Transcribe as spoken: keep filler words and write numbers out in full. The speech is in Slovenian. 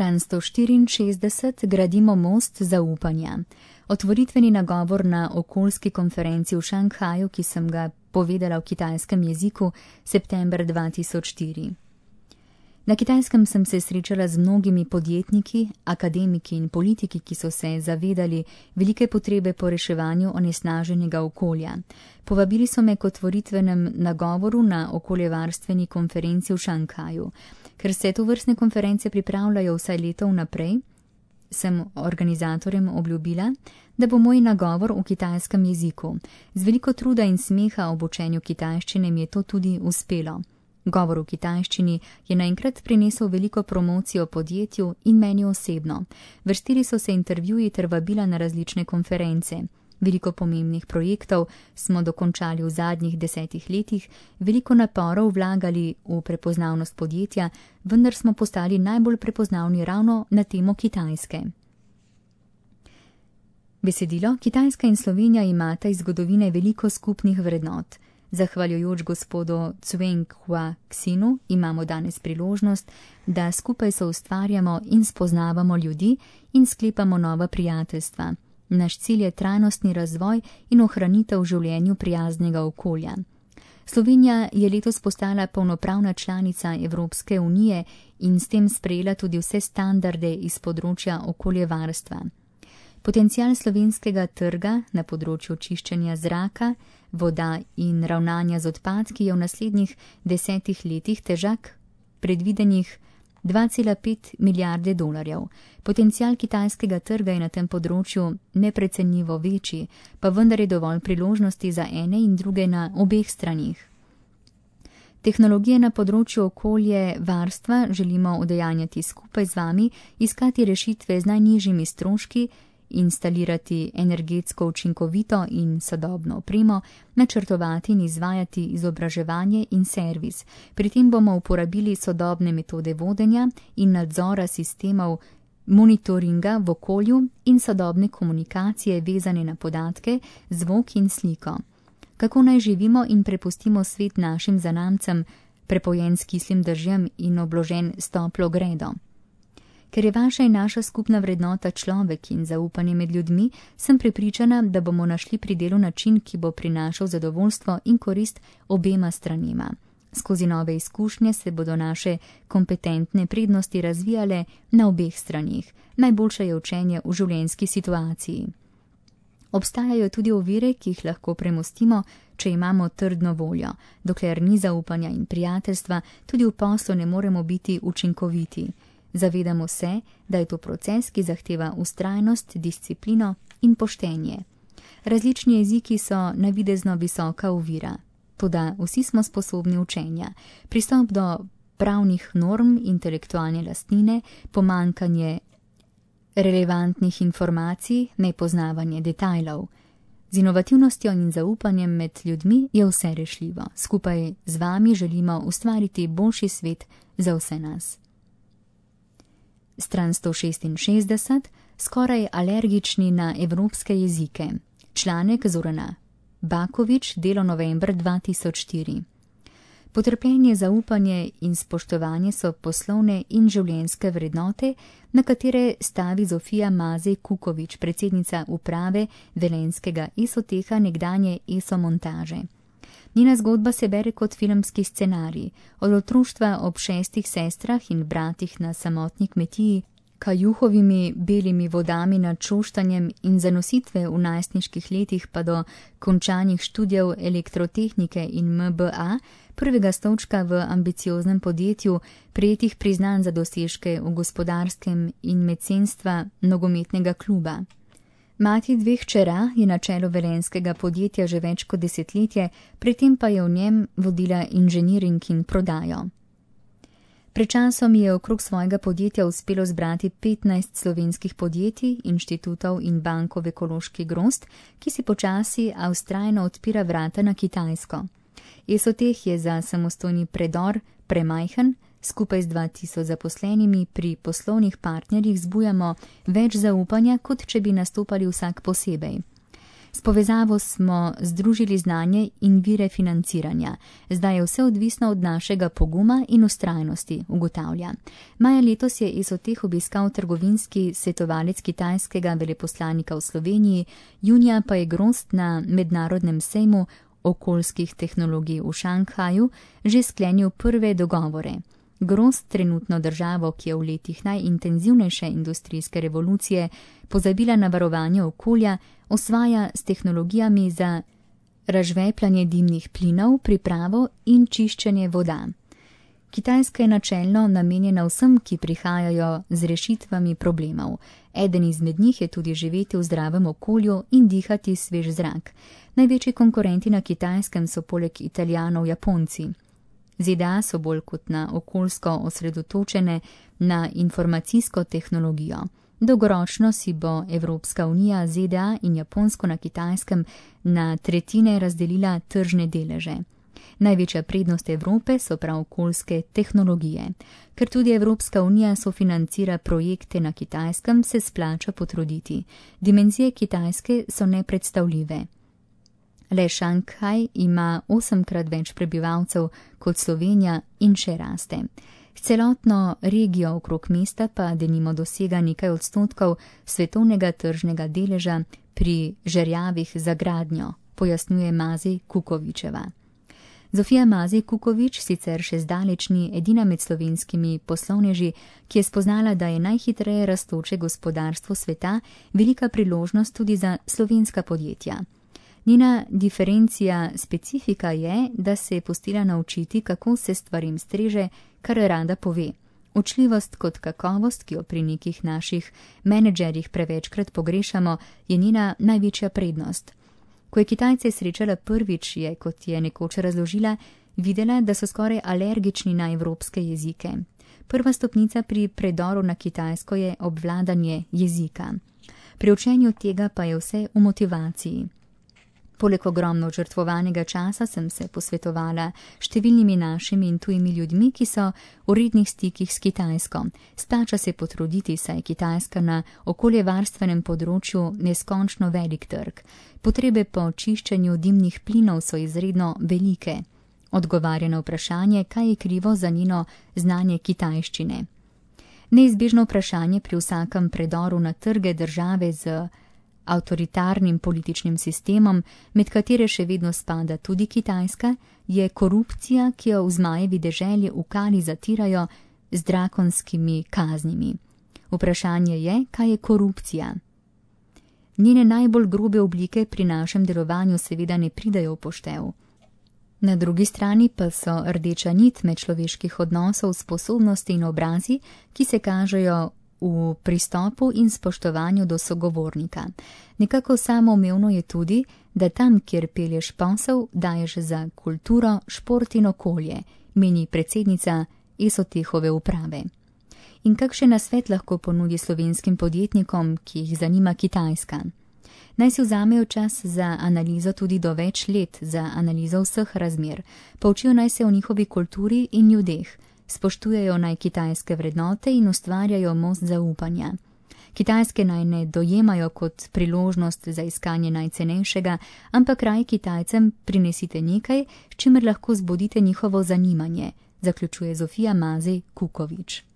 Stran sto štiriinšestdeset. Gradimo most zaupanja. Otvoritveni nagovor na okoljski konferenci v Šanghaju, ki sem ga povedala v kitajskem jeziku september dva tisoč štiri. Na Kitajskem sem se srečala z mnogimi podjetniki, akademiki in politiki, ki so se zavedali velike potrebe po reševanju onesnaženega okolja. Povabili so me k otvoritvenem nagovoru na okoljevarstveni konferenci v Šanghaju. Ker se tovrstne konference pripravljajo vsaj leto vnaprej, sem organizatorjem obljubila, da bo moj nagovor v kitajskem jeziku. Z veliko truda in smeha ob učenju kitajščine mi je to tudi uspelo. Govor v kitajščini je naenkrat prinesel veliko promocijo podjetju in meni osebno. Vrstili so se intervjuji ter vabila na različne konference. Veliko pomembnih projektov smo dokončali v zadnjih desetih letih, veliko naporov vlagali v prepoznavnost podjetja, vendar smo postali najbolj prepoznavni ravno na temo Kitajske. Besedilo: Kitajska in Slovenija imata iz zgodovine veliko skupnih vrednot. Zahvaljujoč gospodu Cuen Hua Xinu imamo danes priložnost, da skupaj soustvarjamo in spoznavamo ljudi in sklepamo nova prijateljstva. Naš cilj je trajnostni razvoj in ohranitev v življenju prijaznega okolja. Slovenija je letos postala polnopravna članica Evropske unije in s tem sprejela tudi vse standarde iz področja okoljevarstva. Potencial slovenskega trga na področju čiščenja zraka, voda in ravnanja z odpadki je v naslednjih desetih letih težak predvidenih dva cela pet milijarde dolarjev. Potencial kitajskega trga je na tem področju neprecenljivo večji, pa vendar je dovolj priložnosti za ene in druge na obeh stranih. Tehnologije na področju okolje varstva želimo udejanjati skupaj z vami, iskati rešitve z najnižjimi stroški, instalirati energetsko učinkovito in sodobno opremo, načrtovati in izvajati izobraževanje in servis. Pri tem bomo uporabili sodobne metode vodenja in nadzora sistemov monitoringa v okolju in sodobne komunikacije vezane na podatke, zvok in sliko. Kako naj živimo in prepustimo svet našim zanamcem, prepojen s kislim dežjem in obložen s toplo gredo? Ker je vaša in naša skupna vrednota človek in zaupanje med ljudmi, sem prepričana, da bomo našli pri delu način, ki bo prinašal zadovoljstvo in korist obema stranima. Skozi nove izkušnje se bodo naše kompetentne prednosti razvijale na obeh stranih. Najboljše je učenje v življenjski situaciji. Obstajajo tudi ovire, ki jih lahko premostimo, če imamo trdno voljo. Dokler ni zaupanja in prijateljstva, tudi v poslu ne moremo biti učinkoviti. Zavedamo se, da je to proces, ki zahteva vztrajnost, disciplino in poštenje. Različni jeziki so navidezno visoka ovira, toda vsi smo sposobni učenja. Pristop do pravnih norm, intelektualne lastnine, pomanjkanje relevantnih informacij, nepoznavanje detajlov. Z inovativnostjo in zaupanjem med ljudmi je vse rešljivo. Skupaj z vami želimo ustvariti boljši svet za vse nas. Stran sto šestinšestdeset. Skoraj alergični na evropske jezike. Članek Zorana Bakovič, delo november dva tisoč štiri. Potrpljenje, zaupanje in spoštovanje so poslovne in življenjske vrednote, na katere stavi Zofija Mazej Kukovič, predsednica uprave velenjskega Esoteha, nekdanje Eso montaže. Njena zgodba se bere kot filmski scenarij. Od otroštva ob šestih sestrah in bratih na samotni kmetiji, kajuhovimi belimi vodami nad Šoštanjem in zanositve v najstniških letih pa do končanih študijev elektrotehnike in M B A, prvega stolčka v ambicioznem podjetju, prejetih priznanj za dosežke v gospodarskem in mecenstva nogometnega kluba. Mati dveh hčera je na čelu velenjskega podjetja že več kot desetletje, pri tem pa je v njem vodila inženiring in prodajo. Pred časom je okrog svojega podjetja uspelo zbrati petnajst slovenskih podjetij, inštitutov in bankov Ekološki grozd, ki si počasi, a vztrajno odpira vrata na Kitajsko. Esoteh je za samostojni predor premajhen, skupaj z dva tisoč zaposlenimi pri poslovnih partnerjih zbujamo več zaupanja, kot če bi nastopali vsak posebej. S povezavo smo združili znanje in vire financiranja. Zdaj je vse odvisno od našega poguma in ustrajnosti, ugotavlja. Maja letos je Esoteh obiskal trgovinski svetovalec kitajskega veleposlanika v Sloveniji, junija pa je Grozd na mednarodnem sejmu okoljskih tehnologij v Šanghaju že sklenil prve dogovore. Grozd, trenutno državo, ki je v letih najintenzivnejše industrijske revolucije pozabila na varovanje okolja, osvaja s tehnologijami za razžvepljanje dimnih plinov, pripravo in čiščenje voda. Kitajska je načelno namenjena vsem, ki prihajajo z rešitvami problemov. Eden izmed njih je tudi živeti v zdravem okolju in dihati svež zrak. Največji konkurenti na Kitajskem so poleg Italijanov Japonci. Z D A so bolj kot na okoljsko osredotočene na informacijsko tehnologijo. Dolgoročno si bo Evropska unija, Z D A in Japonsko na Kitajskem na tretjine razdelila tržne deleže. Največja prednost Evrope so prav okoljske tehnologije. Ker tudi Evropska unija sofinancira projekte na Kitajskem, se splača potruditi. Dimenzije Kitajske so nepredstavljive. Le Šanghaj ima osemkrat več prebivalcev kot Slovenija in še raste. S celotno regijo okrog mesta pa denimo dosega nekaj odstotkov svetovnega tržnega deleža pri žerjavih za gradnjo, pojasnjuje Mazej Kukovičeva. Zofija Mazej Kukovič sicer še zdaleč ni edina med slovenskimi poslovneži, ki je spoznala, da je najhitreje rastoče gospodarstvo sveta velika priložnost tudi za slovenska podjetja. Njena diferencija specifika je, da se je pustila naučiti, kako se stvarim streže, kar rada pove. Učljivost kot kakovost, ki jo pri nekih naših menedžerjih prevečkrat pogrešamo, je njena največja prednost. Ko je Kitajce srečala prvič, je, kot je nekoč razložila, videla, da so skoraj alergični na evropske jezike. Prva stopnica pri predoru na Kitajsko je obvladanje jezika. Pri učenju tega pa je vse v motivaciji. Poleg ogromno žrtvovanega časa sem se posvetovala številnimi našimi in tujimi ljudmi, ki so v rednih stikih s Kitajsko. Splača se potruditi, saj je Kitajska na okoljevarstvenem področju neskončno velik trg. Potrebe po čiščenju dimnih plinov so izredno velike. Odgovarja na vprašanje, kaj je krivo za njeno znanje kitajščine. Neizbežno vprašanje pri vsakem predoru na trge države z avtoritarnim političnim sistemom, med katere še vedno spada tudi Kitajska, je korupcija, ki jo v zmajevi deželi v kali zatirajo z drakonskimi kaznimi. Vprašanje je, kaj je korupcija. Njene najbolj grobe oblike pri našem delovanju seveda ne pridajo v poštev. Na drugi strani pa so rdeča nit medčloveških odnosov, sposobnosti in obrazi, ki se kažejo v pristopu in spoštovanju do sogovornika. Nekako samoumevno je tudi, da tam, kjer pelješ posel, daješ za kulturo, šport in okolje, meni predsednica Esotehove uprave. In kakšen nasvet lahko ponudi slovenskim podjetnikom, ki jih zanima Kitajska? Naj si vzamejo čas za analizo tudi do več let, za analizo vseh razmer. Poučijo naj se o njihovi kulturi in ljudeh. Spoštujejo naj kitajske vrednote in ustvarjajo most zaupanja. Kitajske naj ne dojemajo kot priložnost za iskanje najcenejšega, ampak raj Kitajcem prinesite nekaj, s čimer lahko zbudite njihovo zanimanje, zaključuje Zofija Mazej Kukovič.